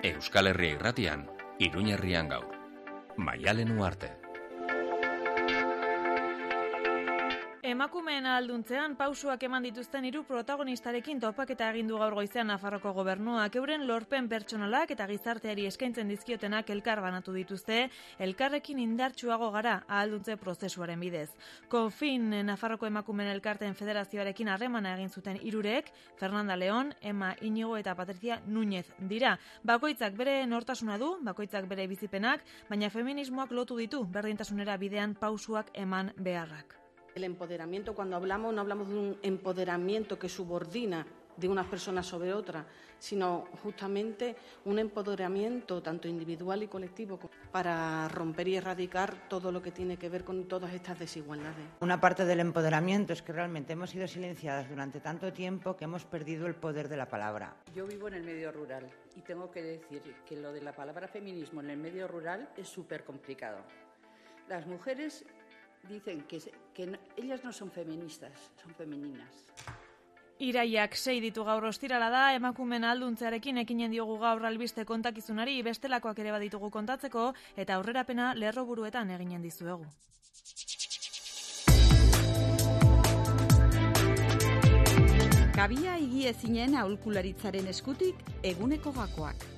Euskal Herria Irratian, Iruñerrian gaur. Maialen Uarte. Emakumeen ahalduntzean pausuak eman dituzten 3 protagonistarekin topaketa egin du gaur goizean Nafarroko gobernuak. Euren lorpen pertsonalak eta gizarteari eskaintzen dizkiotenak elkar banatu dituzte, elkarrekin indartsuago gara ahalduntze prozesuaren bidez. Confin Nafarroko Emakumeen Elkarteen Federazioarekin harremana egin zuten 3, Fernanda León, Emma Inigo eta Patricia Núñez dira. Bakoitzak bere nortasuna du, bakoitzak bere bizipenak, baina feminismoak lotu ditu berdintasunera bidean pausuak eman beharrak. El empoderamiento, cuando hablamos, no hablamos de un empoderamiento que subordina de unas personas sobre otras, sino justamente un empoderamiento tanto individual y colectivo para romper y erradicar todo lo que tiene que ver con todas estas desigualdades. Una parte del empoderamiento es que realmente hemos sido silenciadas durante tanto tiempo que hemos perdido el poder de la palabra. Yo vivo en el medio rural y tengo que decir que lo de la palabra feminismo en el medio rural es súper complicado. Las mujeres dicen que ellas no son feministas, son femeninas. Iraiak 6 ditu gaur ostirala da, emakumeen ahalduntzearekin ekinen diogu gaur albiste kontakizunari, bestelakoak ere baditugu kontatzeko, eta aurrerapena lerroburuetan eginen dizuegu. Kabia higiezinen aholkularitzaren eskutik eguneko gakoak.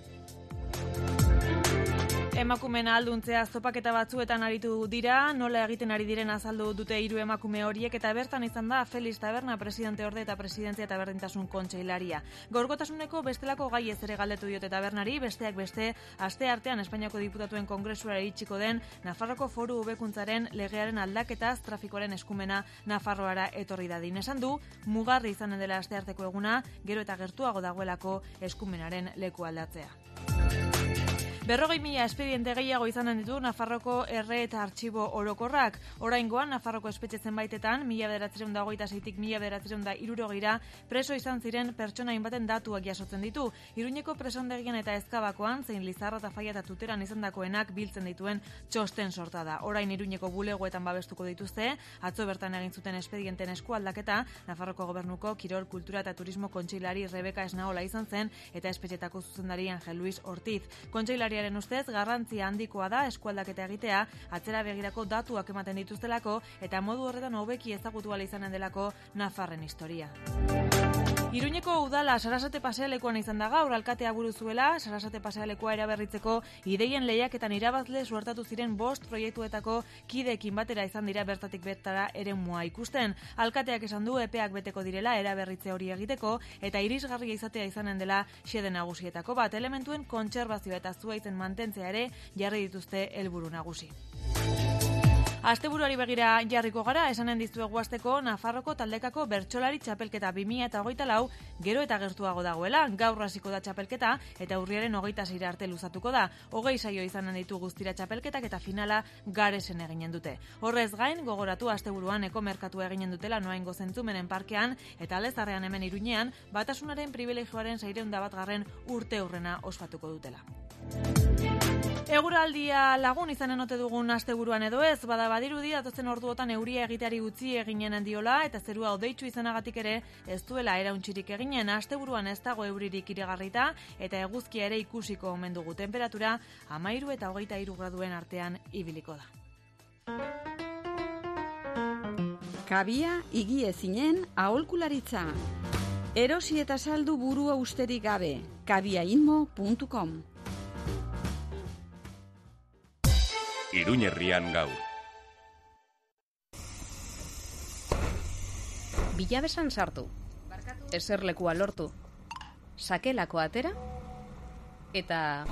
Emakumeen ahalduntzea topaketa batzuetan aritu dira, nola egiten ari diren azaldu dute 3 emakume horiek, eta bertan izan da Felix Taberna, presidente orde eta presidentzia eta berdintasun kontseilaria. Gaurkotasuneko bestelako gai ez ere galdetu diote Tabernari, besteak beste, aste artean Espainiako Diputatuen Kongresura iritsiko den Nafarroko Foru Hobekuntzaren legearen aldaketaz trafikoaren eskumena Nafarroara etorri dadin. Esan du, mugarri izanen dela aste arteko eguna, gero eta gertuago dagoelako eskumenaren leku aldatzea. 40.000 espediente gehiago izanen ditu Nafarroko erre eta artxibo orokorrak. Oraingoan Nafarroko espetxe zenbaitetan 1926tik 1960 preso izan ziren pertsona hainbaten datuak jasotzen ditu. Iruñeko presondegian eta Ezkabakoan zein Lizarra eta Faia eta Tuteran izandakoenak biltzen dituen txosten sorta da. Orain Iruñeko bulegoetan babestuko dituzte, atzo bertan egin zuten espedienten eskualdaketa, Nafarroko Gobernuko Kirol, Kultura eta Turismo kontseilari Rebeka Esnaola izan zen eta espetxetako zuzendari Angel Luis Ortiz. Kontseilariaren ustez garrantzia handikoa da eskualdaketa egitea, atzera begirako datuak ematen dituztelako eta modu horretan hobeki ezagutu ahal izanen delako Nafarren historia. Iruñeko udala Sarasate pasealekuan izan da gaur, alkatea buru zuela, Sarasate pasealekua eraberritzeko ideien lehiaketan irabazle suertatu ziren 5 proiektuetako kideekin batera izan dira bertatik bertara eremua ikusten. Alkateak esan du epeak beteko direla eraberritze hori egiteko eta irisgarria izatea izanen dela xede nagusietako bat, elementuen kontserbazioa eta zuhaitzen mantentzea ere jarri dituzte helburu nagusi. Asteburuari begira jarriko gara, esanen dizuegu hasteko Nafarroko taldekako bertsolari txapelketa 2024 gero eta gertuago dagoela. Gaur hasiko da txapelketa eta urriaren 26 arte luzatuko da. 20 saio izanen ditu guztira txapelketak eta finala Garesen eginen dute. Horrez gain, gogoratu asteburuan ekomerkatua eginen dutela Noaingo Zentzumenen parkean eta Alezarrean hemen Iruñean batasunaren pribilegioaren 601. urteurrena ospatuko dutela. Eguraldia lagun izanen ote dugun asteburuan edo ez, badirudi datozen orduotan euria egiteari utzi eginen diola eta zerua hodeitsu izanagatik ere ez duela erauntxirik eginen. Asteburuan ez dago euririk iragarrita eta eguzkia ere ikusiko omen dugu. Temperatura 13 eta 23 graduen artean ibiliko da. Kabia higiezinen aholkularitza. Erosi eta saldu burua usterik gabe. kabiainmo.com. Iruñerrian gaur. Bilabesan sartu, eserlekua lortu, sakelako atera, eta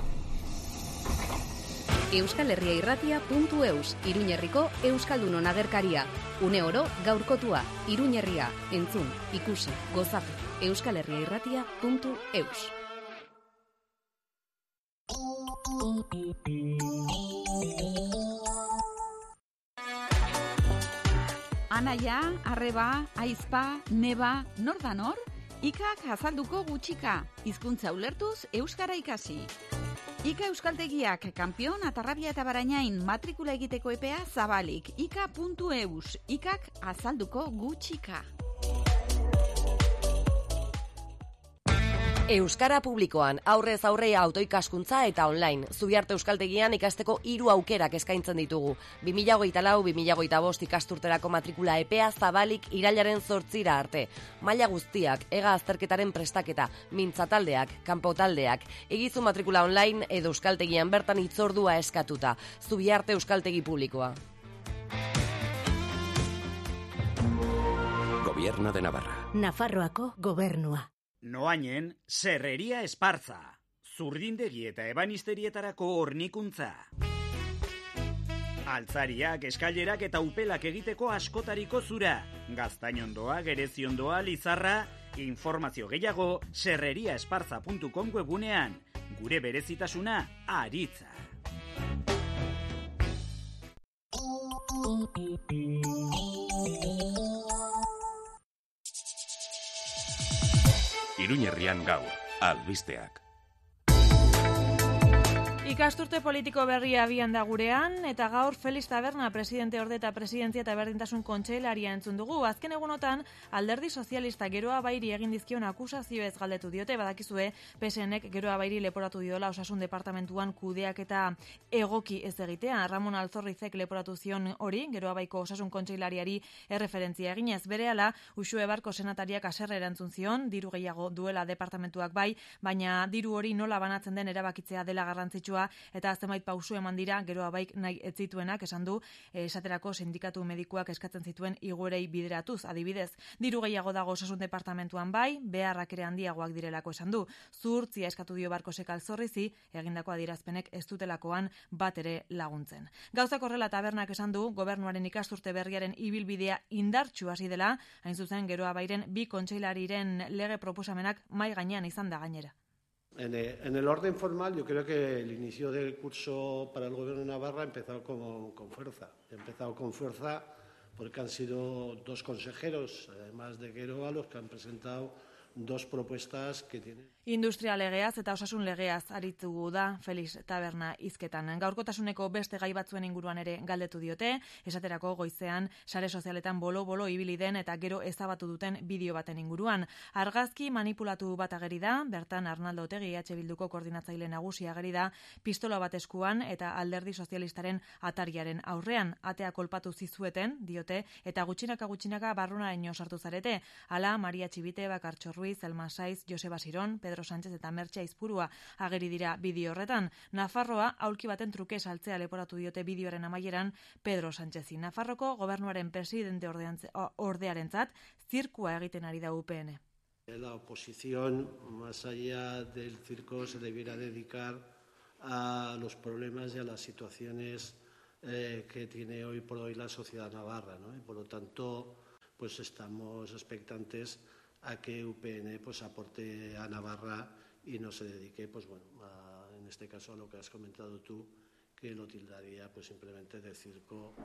euskalherriairratia.eus, Iruñerriko Euskaldunon agerkaria. Une oro gaurkotua, Iruñerria, entzun, ikusi, gozatu, euskalherriairratia.eus. Anaia, arreba, aizpa, neba, nor da nor? Ikak azalduko gutxika, hizkuntza ulertuz euskara ikasi. Ika euskaltegiak kanpion, Atarrabia eta Barainain matrikula egiteko epea zabalik. ika.eus, ikak azalduko gutxika. Euskara publikoan, aurrez aurre autoikaskuntza eta online. Zubiarte Euskaltegian ikasteko 3 aukerak eskaintzen ditugu. 2024-2025 ikasturterako matrikula epea zabalik irailaren 8 arte. Maila guztiak, ega azterketaren prestaketa, mintzataldeak, kanpotaldeak, egizu matrikula online edo Euskaltegian bertan hitzordua eskatuta. Zubiarte Euskaltegi publikoa. Gobierno de Navarra. Nafarroako gobernua. Noainen, Serreria Esparza. Zurdindegi eta ebanisterietarako hornikuntza. Altzariak, eskailerak eta upelak egiteko askotariko zura. Gaztainondoa, gereziondoa, lizarra. Informazio gehiago, serreriaesparza.com webunean. Gure berezitasuna, aritza. Iruñerrian gaur, albisteak. Ikasturte politiko berria abian da gurean, eta gaur Felix Taberna presidente orde eta presidentzia eta berdintasun kontseilaria entzun dugu. Azken egunotan, Alderdi Sozialista Geroa Bairi egin dizkion akusazioez galdetu diote, badakizue PSNek Geroa Bairi leporatu diola Osasun Departamentuan kudeak eta egoki ez egitea. Ramon Alzorrizek leporatu zion hori, Geroa Baiko Osasun Kontseilariari erreferentzia eginez. Berehala, Uxue Barko senatariak haserre erantzun zion, diru gehiago duela departamentuak bai, baina diru hori nola banatzen den erabakitzea dela garrantzitsua, eta zenbait pausu eman dira Geroa Baik nahi ez zituenak, esan du, esaterako sindikatu medikuak eskatzen zituen igoerei bideratuz. Adibidez, diru gehiago dago Osasun Departamentuan bai, beharrak ere handiagoak direlako esan du. Zuhurtzia eskatu dio Barkosek Alzorrizi, egindako adierazpenek ez dutelakoan bat ere laguntzen. Gauzak horrela Tabernak esan du, gobernuaren ikasturte berriaren ibilbidea indartsu hasi dela, hain zuzen Geroa Bairen 2 kontseilariren lege proposamenak mai gainean izan da gainera. En el orden formal, yo creo que el inicio del curso para el Gobierno de Navarra ha empezado con fuerza. Ha empezado con fuerza porque han sido 2 consejeros, además de Geroa, los que han presentado 2 propuestas que tienen... Industria legeaz eta osasun legeaz aritu da Felix Taberna hizketan. Gaurkotasuneko beste gai batzuen inguruan ere galdetu diote, esaterako goizean sare sozialetan bolo-bolo ibili den eta gero ezabatu duten bideo baten inguruan. Argazki manipulatu bat ageri da, bertan Arnaldo Otegi EH Bilduko koordinatzaile nagusi ageri da, pistola bat eskuan eta Alderdi Sozialistaren atariaren aurrean. Atea kolpatu zizueten, diote, eta gutxinaka barrunaraino sartu zarete. Hala, Maria Txibite, Bakartxo Ruiz, Elma Saiz, Joseba Siron, Pedro Sánchez eta Mertxe Aizpurua ageri dira bideo horretan. Nafarroa aulki baten truke saltzea leporatu diote bideoaren amaieran Pedro Sánchezi. Nafarroko gobernuaren presidente ordearentzat zirkua egiten ari da UPN. La oposición, más allá del circo, se debiera dedicar a los problemas y a las situaciones que tiene hoy por hoy la sociedad navarra, ¿no? Y por lo tanto, pues estamos expectantes a que UPN pues aporte a Navarra y no se dedique, pues bueno, en este caso a lo que has comentado tú, que lo tildaría pues simplemente de circo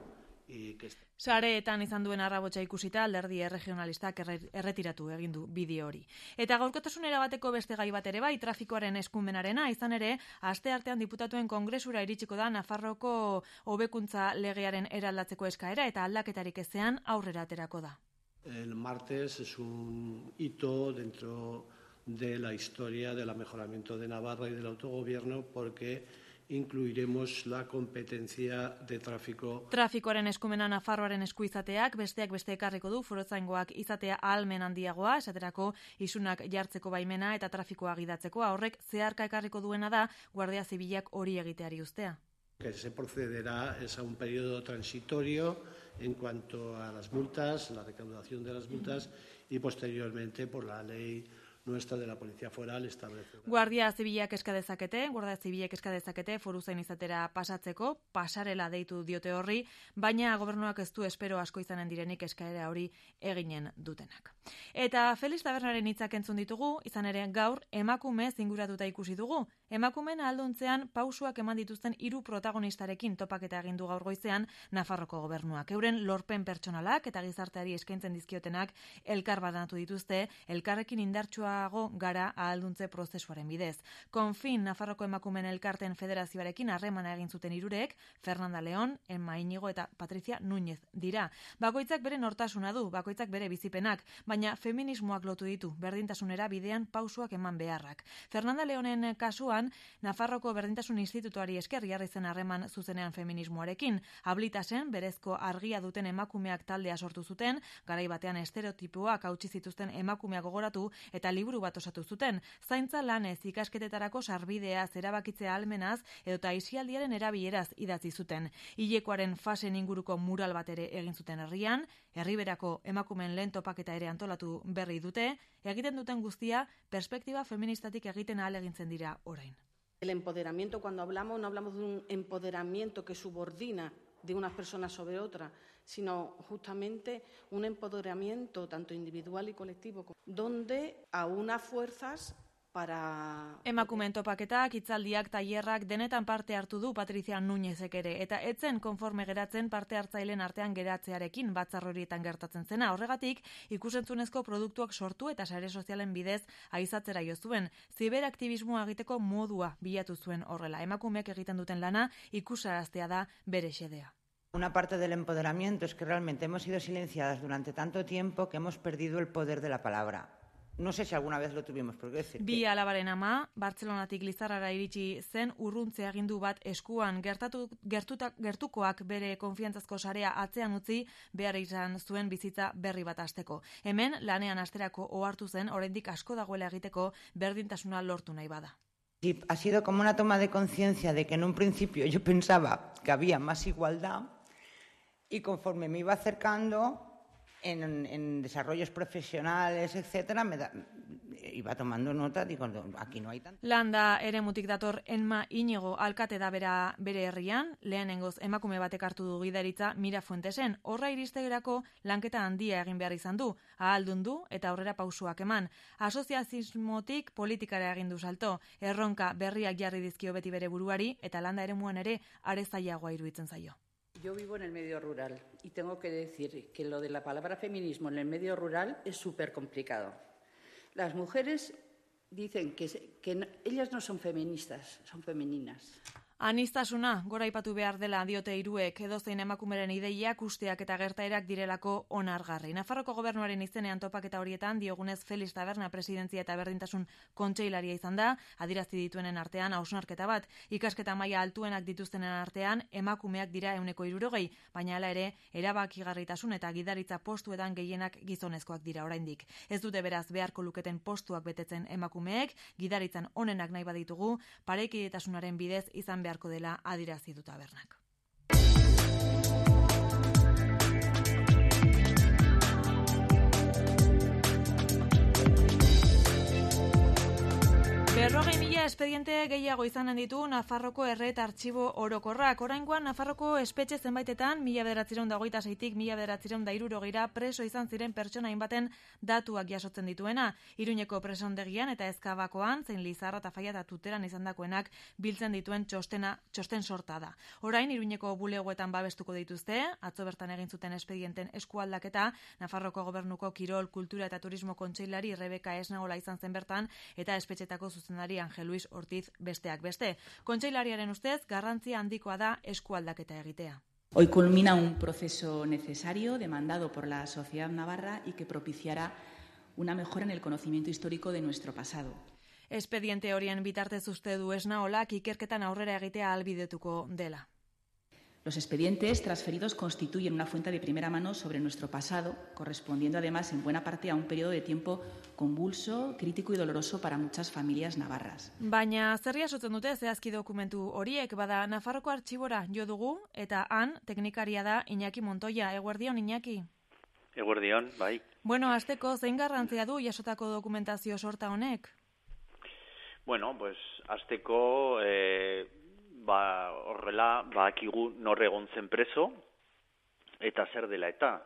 y que... Sareetan izan duen arrabotsa ikusita alderdi erregionalistak erretiratu egin du bideo hori. Eta gaurkotasunera bateko beste gai bat ere bai, trafikoaren eskumenarena, izan ere, asteartean diputatuen kongresura iritsiko da Nafarroko hobekuntza legearen eraldatzeko eskaera eta aldaketarik ezean aurrera aterako da. El martes es un hito dentro de la historia del mejoramiento de Navarra y del autogobierno porque incluiremos la competencia de tráfico. Trafikoaren eskumena Nafarroaren esku izateak besteak beste ekarriko du foruzaingoak izatea ahalmen handiagoa, esaterako isunak jartzeko baimena eta trafikoa gidatzeko. Horrek zeharka ekarriko duena da Guardia Zibilak hori egiteari uztea. Que se procederá es a un periodo transitorio en cuanto a las multas, la recaudación de las multas y posteriormente por la ley nuestra de la Policía Foral establece. Guardia Zibilak eska dezakete foruzain izatera pasatzeko, pasarela deitu diote horri, baina gobernuak ez du espero asko izanen direnik eskaera hori eginen dutenak. Eta Felix Tabernaren hitzak entzun ditugu, izan ere gaur emakume zinguratuta ikusi dugu. Emakumeen ahalduntzean pausuak eman dituzten 3 protagonistarekin topaketa egin du gaur goizean Nafarroko gobernuak. Euren lorpen pertsonalak eta gizarteari eskaintzen dizkiotenak elkar banatu dituzte, elkarrekin indartsua gerturago gara ahalduntze prozesuaren bidez. Konfin, Nafarroko emakumeen elkarten federazioarekin harremana egin zuten hirurek, Fernanda León, Emma Iñigo eta Patricia Núñez dira. Bakoitzak bere nortasuna du, bakoitzak bere bizipenak, baina feminismoak lotu ditu, berdintasunera bidean pausuak eman beharrak. Fernanda Leónen kasuan, Nafarroko Berdintasun Institutuari esker jarri zen harreman zuzenean feminismoarekin. Ablitasen, berezko argia duten emakumeak taldea sortu zuten, garai batean estereotipoak hautsi zituzten emakumeak gogoratu eta liburu bat osatu zuten. Zaintza lanez, ikasketetarako sarbideaz, erabakitzea ahalmenaz edota aisialdiaren erabileraz idatzi zuten. Hilekoaren fasen inguruko mural bat ere egin zuten herrian, herriberako emakumeen lehen topaketa ere antolatu berri dute, egiten duten guztia perspektiba feministatik egiten ahalegintzen dira orain. El empoderamiento, cuando hablamos, no hablamos de un empoderamiento que subordina de unas personas sobre otras, sino justamente un empoderamiento tanto individual y colectivo, donde aúna fuerzas para... Emakumeen topaketak, hitzaldiak, tailerrak denetan parte hartu du Patricia Núñezek ere, eta etzen konforme geratzen parte hartzaileen artean geratzearekin batzar horietan gertatzen zena. Horregatik, ikusentzunezko produktuak sortu eta sare sozialen bidez aizatzera jo zuen. Ziberaktibismoa egiteko modua bilatu zuen horrela. Emakumeek egiten duten lana ikusaraztea da bere xedea. Una parte del empoderamiento es que realmente hemos sido silenciadas durante tanto tiempo que hemos perdido el poder de la palabra. No sé si alguna vez lo tuvimos, porque decir... Bi alabaren ama, Bartzelonatik Lizarrara iritsi zen urruntze agindu bat eskuan gertukoak bere konfiantzazko sarea atzean utzi behar izan zuen bizitza berri bat hasteko. Hemen lanean hasterako ohartu zen oraindik asko dagoela egiteko berdintasuna lortu nahi bada. Sí, ha sido como una toma de conciencia de que en un principio yo pensaba que había más igualdad y conforme me iba acercando en desarrollos profesionales, etcétera, iba tomando nota, digo, aquí no hay tanto. Landa eremutik dator Emma Iñigo alkate da bere herrian, lehenengoz emakume batek hartu du gidaritza Mira Fuentesen. Horra iristegerako lanketa handia egin behar izan du, ahaldundu eta aurrera pausuak eman. Asoziazismotik politikara egin du salto, erronka berriak jarri dizkio beti bere buruari eta landa eremuan ere are zailagoa iruditzen zaio. Yo vivo en el medio rural y tengo que decir que lo de la palabra feminismo en el medio rural es súper complicado. Las mujeres dicen que ellas no son feministas, son femeninas. Anistasuna, gora aipatu behar dela diote hiruek, edozein emakumeren ideiak, usteak eta gertaerak direlako onargarri. Nafarroko gobernuaren izenean topaketa horietan diogunez Felix Taberna presidentzia eta berdintasun kontseilaria izan da, adierazi dituenen artean hausnarketa bat, ikasketa maila altuenak dituztenen artean emakumeak dira 160, baina hala ere erabakigarritasun eta gidaritza postuetan gehienak gizonezkoak dira oraindik. Ez dute beraz beharko luketen postuak betetzen emakumeek, gidaritzan onenak nahi baditugu, parekidetasunaren bidez izan beharko dela adierazi du Tabernak. Berrogei mila espediente gehiago izanen ditu Nafarroko erre eta artxibo orokorrak. Oraingoan Nafarroko espetxe zenbaitetan 1926tik 1960 preso izan ziren pertsona hainbaten datuak jasotzen dituena. Iruñeko presondegian eta Ezkabakoan, zein Lizarra eta Faia eta Tuteran izandakoenak biltzen dituen txosten sorta da. Orain Iruñeko bulegoetan babestuko dituzte, atzo bertan egin zuten espedienten eskualdaketa, Nafarroko Gobernuko Kirol, Kultura eta Turismo Kontseilari Rebeka Esnaola izan zen bertan eta espetxetako zuzendari Angel Luis Ortiz besteak beste. Kontseilariaren ustez, garrantzia handikoa da eskualdaketa egitea. Hoy culmina un proceso necesario demandado por la sociedad navarra y que propiciará una mejora en el conocimiento histórico de nuestro pasado. Espediente horien bitartez uste du Esnaolak ikerketan aurrera egitea ahalbidetuko dela. Los expedientes transferidos constituyen una fuente de primera mano sobre nuestro pasado, correspondiendo además en buena parte a un periodo de tiempo convulso, crítico y doloroso para muchas familias navarras. Baina zer jasotzen dute zehazki dokumentu horiek, bada Nafarroko artxibora jo dugu eta han teknikaria da Iñaki Montoya. Eguerdion, Iñaki? Eguerdion, bai. Bueno, hasteko zein garrantzia du jasotako dokumentazio sorta honek? Bueno, pues hasteko horrela badakigu nor egon zen preso eta zer dela eta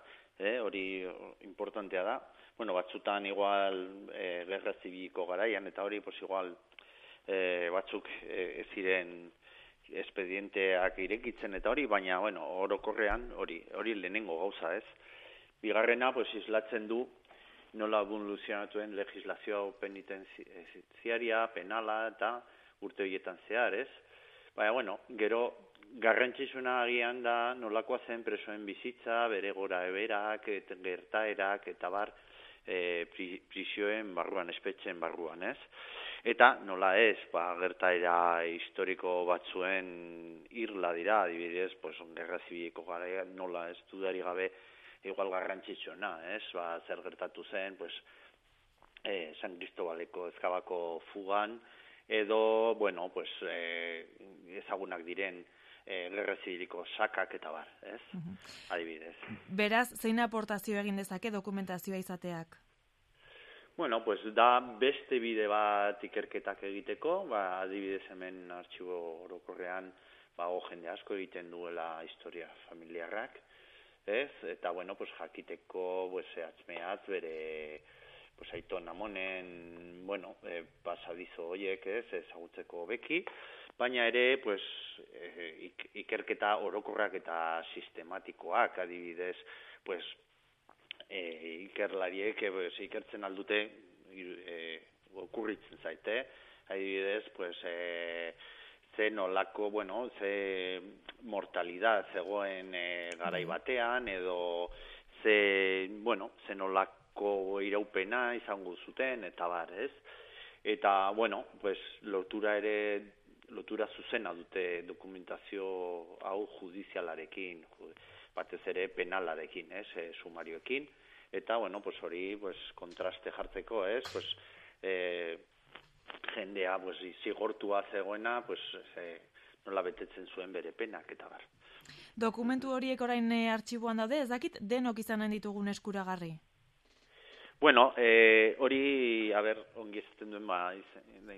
hori importantea da. Bueno, batzutan igual gerra zibiliko garaian eta hori pues igual batzuk ez ziren espedienteak irekitzen eta hori, baina bueno, orokorrean hori lehenengo gauza, ez? Bigarrena pues islatzen du nola evoluzionatuen legislazio penitenziaria, penala eta urte horietan zehar, ez? Baina, bueno, gero garrantzitsuna agian da nolakoa zen presoen bizitza, bere gora eberak, gertaerak, eta bar, prisioen barruan, espetxen barruan, ez? Eta nola ez, gertaera historiko batzuen irla dira, adibidez, gerra zibiliko gara, nola ez dudari gabe, igual garrantzitsuna, ez? Zer gertatu zen, San Cristobaleko ezkabako fugan, edo, bueno, ezagunak diren gerra zibiliko sakak eta bar, ez? Adibidez. Beraz, zein aportazio egin dezake dokumentazioa izateak? Bueno, da beste bide bat ikerketak egiteko, adibidez hemen artxibo orokorrean jende asko egiten duela historia familiarrak, ez? Eta, bueno, jakiteko zehatz-mehatz bere aiton amonen, pasadizo horiek, ez? Ezagutzeko beki, baina ere, ikerketa orokorrak eta sistematikoak, adibidez, ikerlariek ikertzen aldute okurritzen zaite, adibidez, ze nolako, ze mortalidad zegoen garai batean, edo ze nolako iraupena izango zuten, eta bar, ez? Eta, lotura zuzena dute dokumentazio hau judizialarekin, batez ere penalarekin, ez, sumarioekin, eta, hori, kontraste jartzeko, ez, jendea, zigortua zegoena, nola betetzen zuen bere penak, eta bar. Dokumentu horiek orain artxiboan daude, ez dakit denok izanen ditugun eskuragarri? Bueno, hori, ongi ezaten duen,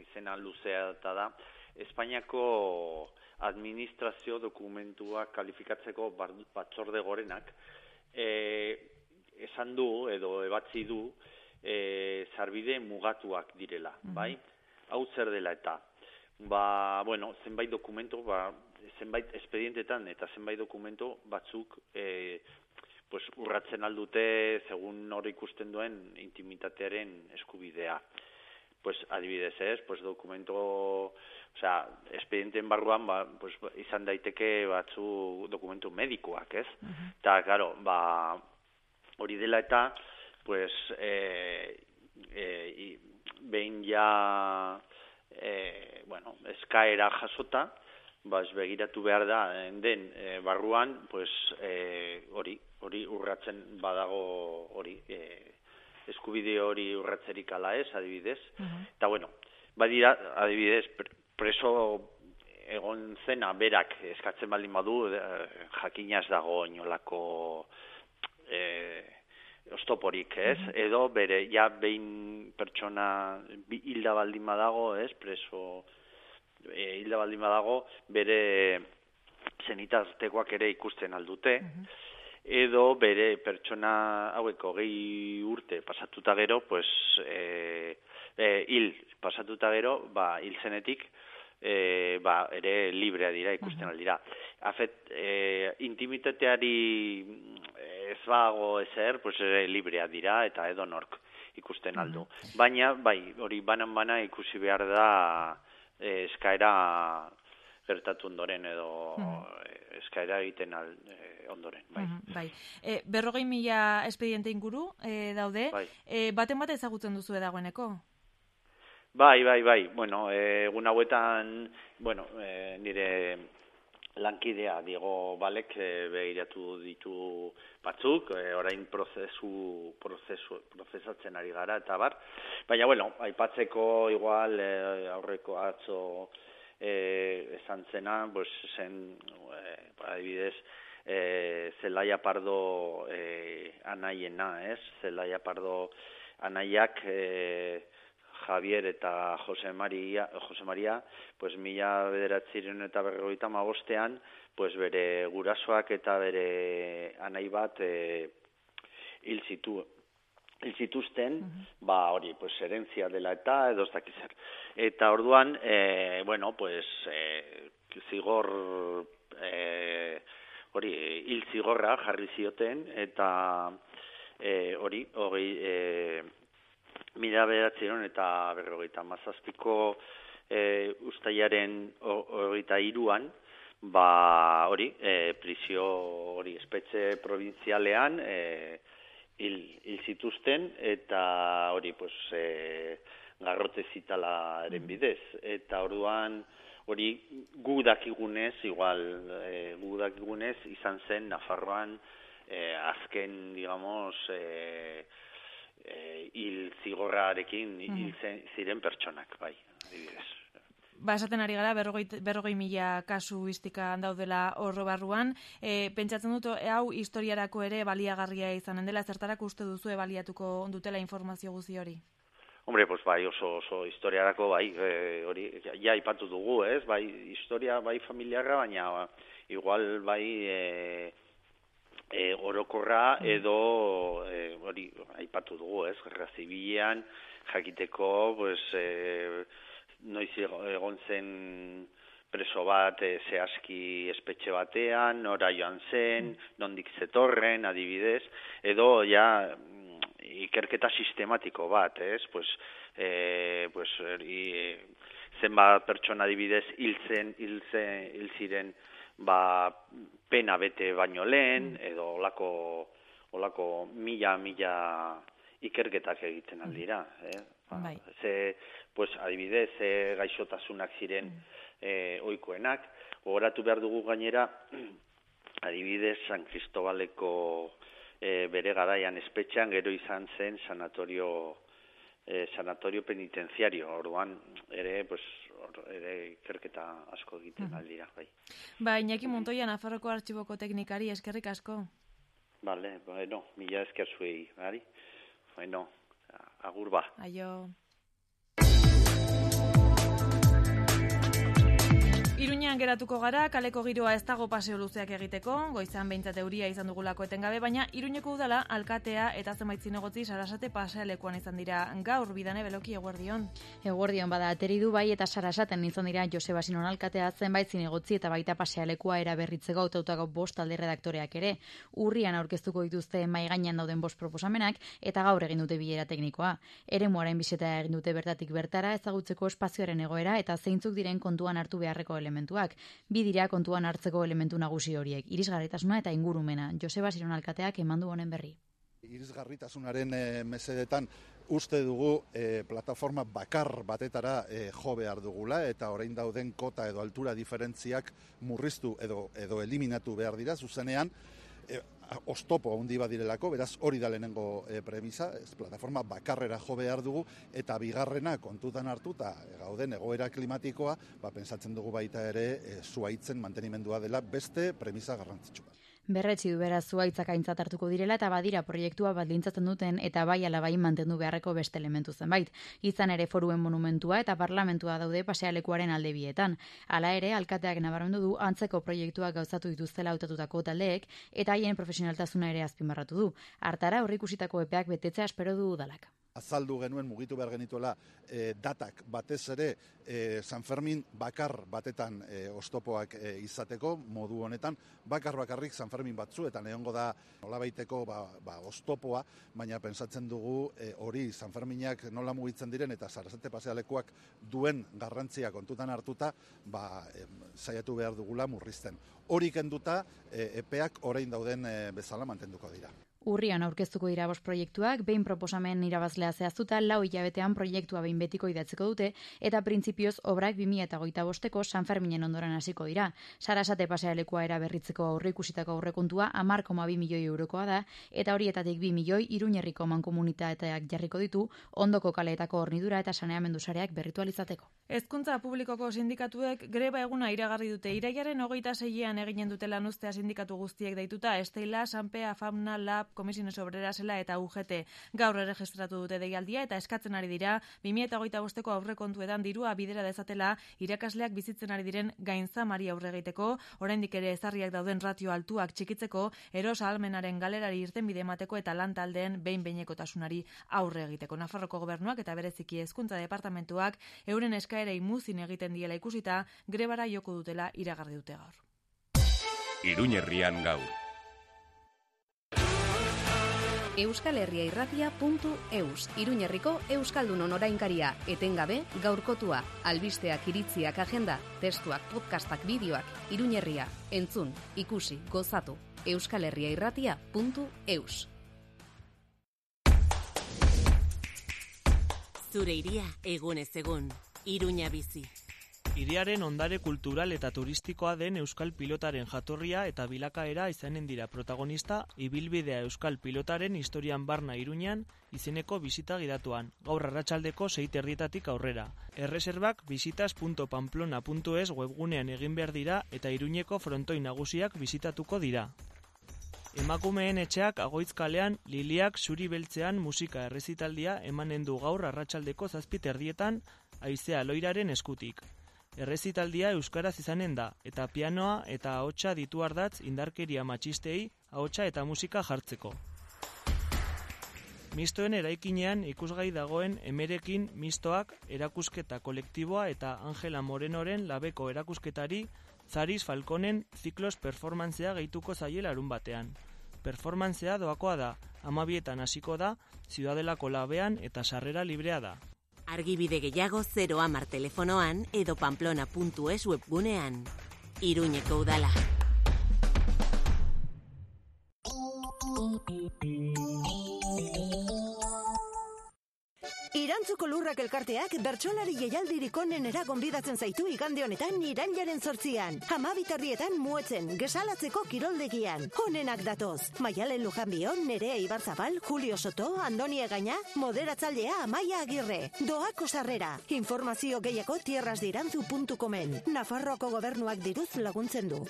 izena luzea eta da, Espainiako administrazio dokumentuak kalifikatzeko batzorde gorenak esan du edo ebatzi du sarbide mugatuak direla, bai? Hau zer dela eta zenbait dokumentu, zenbait espedientetan eta zenbait dokumentu batzuk urratzen aldute segun hori ikusten duen intimitatearen eskubidea. Adibidez ez, dokumento, espedienten barruan, izan daiteke batzu dokumentu medikoak, ez? Eta, claro, hori dela eta, behin ja, eskaera jasota, begiratu behar da, den barruan, hori urratzen badago hori, eskubide hori urratzerik ala ez, adibidez. Eta, badira, adibidez, preso egon zena berak eskatzen baldin badu, jakinaz dago inolako oztoporik, ez? Edo bere, behin pertsona hilda baldin badago, ez? Preso hilda baldin badago, bere zenitaztekoak ere ikusten aldute, edo bere pertsona haueko 20 urte pasatuta gero, hil pasatuta gero, hil zenetik, ere librea dira, ikusten aldira. Intimitateari ez bago ezer, ere librea dira, eta edo nork ikusten aldu. Baina, hori banan-bana ikusi behar da eskaera gertatu ondoren, edo eskaera egiten ondoren. 40.000 espediente inguru daude, baten bat ezagutzen duzu dagoeneko? Bai. Egun hauetan, nire lankidea Diego Balek begiratu ditu batzuk, orain prozesatzen ari gara, eta bar. Baina, aipatzeko igual aurreko atzo esan zena, zen, adibidez, Zelaia Pardo anaiena, ez? Zelaia Pardo anaiak Javier eta Jose Maria, 1995 bere gurasoak eta bere anai bat hil zituzten, hori, herentzia dela eta edo ez dakiz zer. Eta orduan, zigor hori hil zigorra jarri zioten, eta hori, 1957ko ustailaren 23an, hori, prisio hori espetxe provintzialean hil zituzten, eta hori, garrote zitalaren bidez. Eta orduan, hori gu dakigunez izan zen Nafarroan azken, digamos, hil zigorrarekin hil ziren pertsonak, bai, adibidez. Esaten ari gara, 40.000 kasuistikan daudela horro barruan. Pentsatzen dut, hau historiarako ere baliagarria izanen dela, zertarako uste duzu baliatuko dutela informazio guzti hori? Hombre, pues bai, oso historiarako, bai, hori, ja ipatu dugu, ez? Bai, historia, bai, familiarra, baina igual, bai, orokorra edo, hori, aipatu dugu, ez? Gerra zibilean, jakiteko, pues, noiz egon zen preso bat zehazki espetxe batean, nora joan zen, nondik zetorren, adibidez, edo ja ikerketa sistematiko bat, ez? Zenbat pertsona adibidez hil ziren pena bete baino lehen, edo olako mila ikerketak egiten aldira, adibidez, gaixotasunak ziren ohikoenak. Gogoratu behar dugu gainera, adibidez, San Cristobaleko bere garaian espetxean, gero izan zen sanatorio penitenziario. Orduan, ere ikerketa asko egiten aldira. Iñaki Montoya, Nafarroko Artxiboko teknikari, eskerrik asko. Vale, bueno, mila esker zuei, bari? Bueno, agur ba. Aio. Iruñean geratuko gara, kaleko giroa ez dago paseo luzeak egiteko, goizan behintzat euria izan dugulako etengabe, baina Iruñeko udala, alkatea eta zenbait zinegotzi Sarasate pasealekuan izan dira gaur. Bidane Beloki, eguerdion. Eguerdion bada, ateri du bai eta Sarasaten izan dira Joseba Sinon alkatea, zenbait zinegotzi eta baita pasealekua eraberritzeko hautautako 5 alde redaktoreak ere. Urrian aurkeztuko dituzte mahai gainean dauden 5 proposamenak eta gaur egin dute bilera teknikoa. Eremuaren bisita egin dute bertatik bertara ezagutzeko espazioaren egoera eta zeintzuk diren kontuan hartu beharreko elementuak. Bi dira kontuan hartzeko elementu nagusi horiek, irisgarritasuna eta ingurumena. Joseba Siron alkateak eman du honen berri. Irisgarritasunaren mesedetan uste dugu plataforma bakar batetara jo behar dugula eta orain dauden kota edo altura diferentziak murriztu edo eliminatu behar dira zuzenean. Oztopo handi badirelako, beraz hori da lehenengo premisa, plataforma bakarrera jo behar dugu, eta bigarrena kontutan hartuta gauden egoera klimatikoa, pentsatzen dugu baita ere zuhaitzen mantenimendua dela beste premisa garrantzitsu bat. Berretsi du beraz zuhaitzak aintzat hartuko direla eta badira proiektua baldintzatzen duten eta bai ala bai mantendu beharreko beste elementu zenbait. Izan ere foruen monumentua eta parlamentua daude pasealekuaren alde bietan. Hala ere, alkateak nabarmendu du antzeko proiektuak gauzatu dituztela hautatutako taldeek eta haien profesionaltasuna ere azpimarratu du. Hartara aurreikusitako epeak betetzea espero du udalak. Azaldu genuen mugitu behar genituela datak batez ere San Fermin bakar batetan oztopoak izateko modu honetan, bakarrik San Fermin batzuetan egongo da nolabaiteko oztopoa, baina pensatzen dugu hori San Ferminak nola mugitzen diren eta Sarasate pasealekuak duen garrantzia kontutan hartuta saiatu behar dugula murrizten. Hori kenduta epeak orain dauden bezala mantenduko dira. Urrian aurkeztuko dira 5 proiektuak, behin proposamen irabazlea zehaztuta, 4 hilabetean proiektua behin betiko idatziko dute, eta printzipioz obrak 2025ko San Ferminen ondoren hasiko dira. Sarasate pasealekua eraberritzeko aurreikusitako aurrekontua 10,2 milioi eurokoa da, eta horietatik 2 milioi Iruñerriko mankomunitateak jarriko ditu, ondoko kaleetako hornidura eta saneamendu sareak berritu alizateko. Hezkuntza publikoko sindikatuek greba eguna iragarri dute. Irailaren 26an eginen dute lanuztea sindikatu guztiek deituta, Estela, Sanpea, Famna, Lab, Komisiones Obrerasela eta UGT gaur erregistratu dute deialdia eta eskatzen ari dira 2025ko aurrekontuetan dirua bidera dezatela irakasleak bizitzen ari diren gainzamari aurre egiteko, oraindik ere ezarriak dauden ratio altuak txikitzeko, eros ahalmenaren galerari irtenbide emateko eta lan taldeen behin-behinekotasunari aurre egiteko. Nafarroko gobernuak eta bereziki hezkuntza departamentuak euren eskaerei muzin egiten diela ikusita, grebara joko dutela iragarri dute gaur. Iruñerrian gaur. euskalherriairratia.eus, Iruñerriko Euskaldunon orainkaria, etengabe, gaurkotua, albisteak, iritziak, agenda, testuak, podcastak, bideoak, Iruñerria, entzun, ikusi, gozatu, euskalherriairratia.eus. Zure iria egunez egun, Iruña bizi. Hiriaren ondare kultural eta turistikoa den euskal pilotaren jatorria eta bilakaera izanen dira protagonista ibilbidea euskal pilotaren historian barna Iruñan izeneko bisita gidatuan, gaur arratsaldeko 6:30 aurrera. Erreserbak visitas.pamplona.es webgunean egin behar dira eta Iruñeko frontoi nagusiak bisitatuko dira. Emakumeen etxeak Agoitz kalean Liliak zuri beltzean musika errezitaldia emanen du gaur arratsaldeko 7:30 Haizea Loiraren eskutik. Errezitaldia euskaraz izanen da, eta pianoa eta ahotsa ditu ardatz indarkeria matxistei ahotsa eta musika jartzeko. Mistoen eraikinean ikusgai dagoen Emerekin mistoak erakusketa kolektiboa eta Angela Morenoren labeko erakusketari Zaris Falconen ziklos performantzea gehituko zaie larun batean. Performantzea doakoa da, 12:00 hasiko da, Ziudadelako labean eta sarrera librea da. Argibide gehiago 010 telefonoan edo pamplona.es webgunean. Iruñeko udala. Irantzuko Lurrak elkarteak bertsolari jaialdirik onenera gonbidatzen zaitu igande honetan irailaren 8an. 12:00 Muetzen, Gesalatzeko kiroldegian. Honenak datoz. Maialen Lujanbion, Nerea Ibarzabal, Julio Soto, Andoni Egaña, moderatzailea Amaia Agirre. Doako sarrera. Informazio gehiago tierrasdirantzu.comen. Nafarroako gobernuak diruz laguntzen du.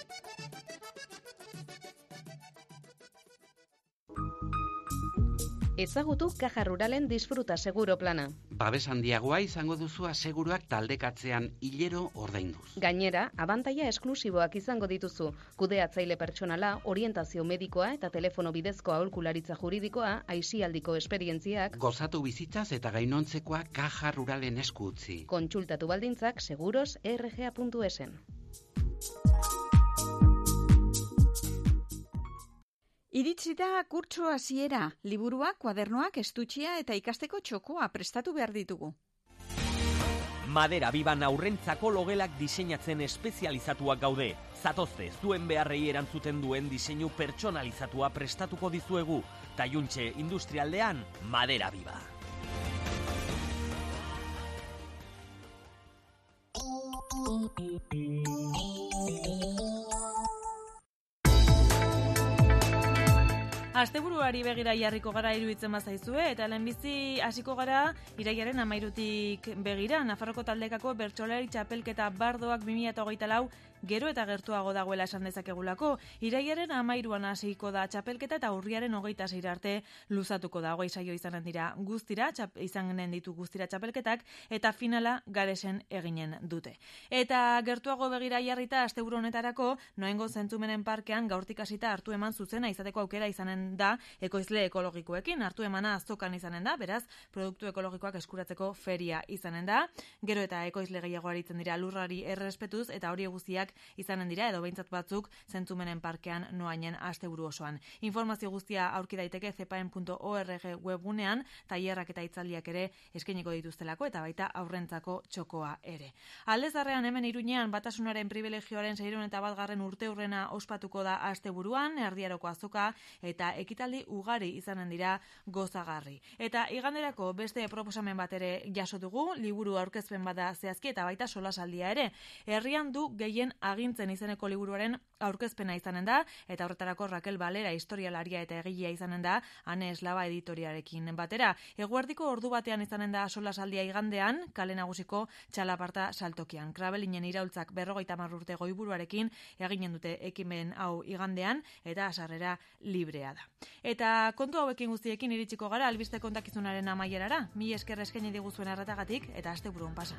Ezagutu Caja Ruralen disfruta seguro plana. Babes handiagoa izango duzu aseguruak taldekatzean hilero ordainduz. Gainera, abantaila esklusiboak izango dituzu. Kudeatzaile pertsonala, orientazio medikoa eta telefono bidezko aholkularitza juridikoa, aisialdiko esperientziak. Gozatu bizitzaz eta gainontzekoa Caja Ruralen esku utzi. Kontsultatu baldintzak seguros.rga.esen. Iritsi da kurtso hasiera, liburuak, kuadernoak, estutxia eta ikasteko txokoa prestatu behar ditugu. Madera Biban aurrentzako logelak diseinatzen espezializatuak gaude. Zatozte, zuen beharrei erantzuten duen diseinu pertsonalizatua prestatuko dizuegu. Taiuntxe industrialdean, Madera Biba. Asteburuari begira jarriko gara iruditzen bazaizue, eta lehenbizi hasiko gara irailaren 13 begira. Nafarroko taldekako bertsolari txapelketa bardoak 2024 gero eta gertuago dagoela esan dezakegulako. Irailaren 13an hasiko da txapelketa eta urriaren 26 arte luzatuko da. 20 saio izanen dira guztira, izanen ditu guztira txapelketak, eta finala Garesen eginen dute. Eta gertuago begira jarrita asteburu honetarako, Noaingo Zentzumenen Parkean gaurtik hasita hartu eman zuzena izateko aukera izanen da ekoizle ekologikoekin. Hartu emana azokan izanen da, beraz, produktu ekologikoak eskuratzeko feria izanen da. Gero eta ekoizle gehiago aritzen dira lurrari errespetuz, eta hori guztiak izanen dira, edo behintzat batzuk Zentzumenen Parkean Noainen asteburu osoan. Informazio guztia aurki daiteke cepaen.org webgunean, tailerrak eta hitzaldiak ere eskainiko dituztelako, eta baita aurrentzako txokoa ere. Aldezarrean hemen Iruñean batasunaren privilegioaren 601. urteurrena ospatuko da asteburuan, Erdiaroko azoka eta ekitaldi ugari izanen dira gozagarri. Eta iganderako beste proposamen bat ere jaso dugu, liburu aurkezpen bada zehazki eta baita solasaldia ere. Herrian du gehien agintzen izeneko liburuaren aurkezpena izanen da, eta horretarako Raquel Valera historialaria eta egilea izanen da, Ane Eslaba editoriarekin batera. Eguerdiko ordu batean izanen da solasaldia igandean, kale nagusiko txalaparta saltokian. Krabelinen iraultzak 50 urte goiburuarekin eginen dute ekimen hau igandean, eta sarrera librea da. Eta kontu hauekin guztiekin iritsiko gara albiste kontakizunaren amaierara. Mila esker eskaini diguzuen arretagatik, eta asteburuan pasa.